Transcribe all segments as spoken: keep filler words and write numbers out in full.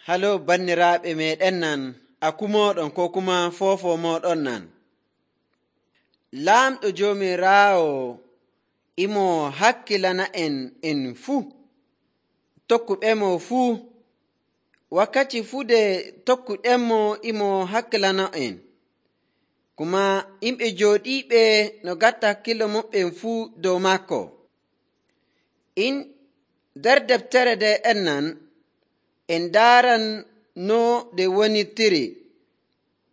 Halo banniraaɓe meeɗen nan, akumoɗon ko kuma foofo moɗon nan. Laamɗo Joomiraawo imo hakkilana en en fuu, tokkuɓemo fuu. Wakkati fuu de tokkuɗenmo imo hakkilana en. Kuma yimɓe jooɗiiɓe no gatta hakkilo maɓɓen fuu dow makko. In nder deftere de en nan, en daaran no de wonirtiri,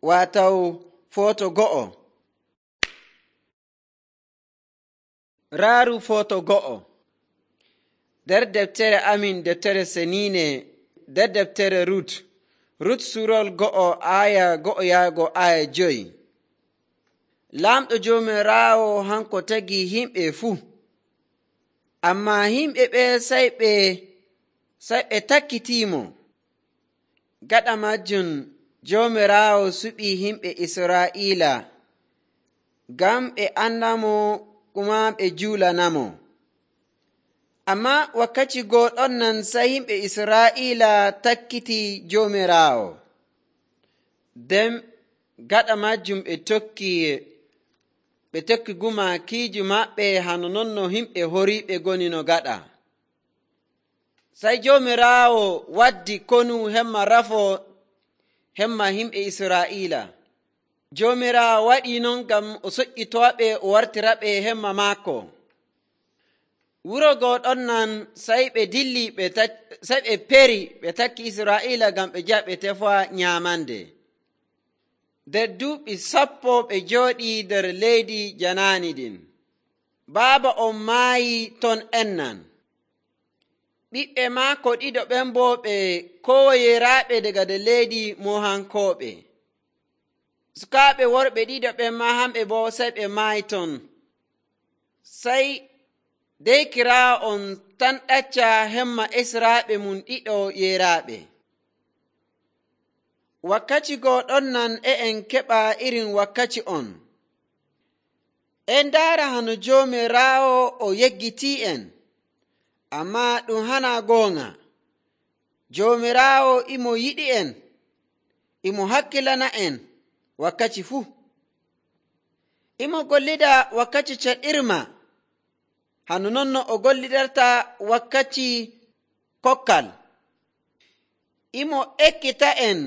waataw footo go'o. Raaru footo go'o. Nder deftere amin deftere seniine, nder deftere Rut. Rut surol go'o aya go'o yaago aya joyi. Laamɗo Joomiraawo hanko tagi himɓe fuu. Amma himɓe ɓe sai ɓe sai ɓe takkitiimo. Gaɗa majjum Joomiraawo suɓi himɓe Israa'iila ngam ɓe andamo kuma ɓe juulanamo. Amma wakkati goɗon nan sai himɓe Israa'iila takkiti Joomiraawo. Nden gaɗa majjum ɓe tokki ɓe tokki gumakiiji maɓɓe hano non no himɓe horiiɓe goni no gaɗa. Sai Joomiraawo waddi konu hemma rafo hemma himɓe Israa'iila. Joomiraawo waɗi non ngam o soƴƴitoɓe o wartiraɓe hemma maako. Wuro goɗon nan sai ɓe dilli ɓe sai ɓe peri ɓe takki Israa'iila ngam ɓe jaha ɓe tefa nyamande. Nder duuɓi sappo ɓe jooɗi nder leydi janaani ɗin. Baaba on maayi ton en nan. Ɓiɓɓe maako ɗiɗo ɓen bo ɓe kowoyeraaɓe daga nder leydi Mohankooɓe. Sukaaɓe worɓe ɗiɗo ɓen ma hamɓe bo sai ɓe maayi ton. Sai deykiraawo on tan ɗacca hemma esraaɓe mum ɗiɗo yeraaɓe. Wakkati goɗon nan e en keɓa irin wakkati on. En ndaara hano Joomiraawo o yeggitii en. Amma ɗum hana goonga. Joomiraawo imo yiɗi en, imo hakkilana en wakkati fuu. Imo gollida wakkati caɗirma, hano non no o gollidarta wakkati kokkal. Imo ekkita en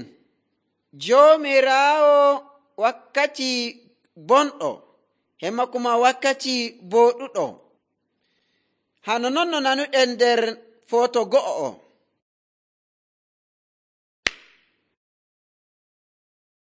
Joomiraawo wakkati bonɗo, hemma kuma wakkati booɗuɗo. Hano non no nanuɗen nder footo go'o o.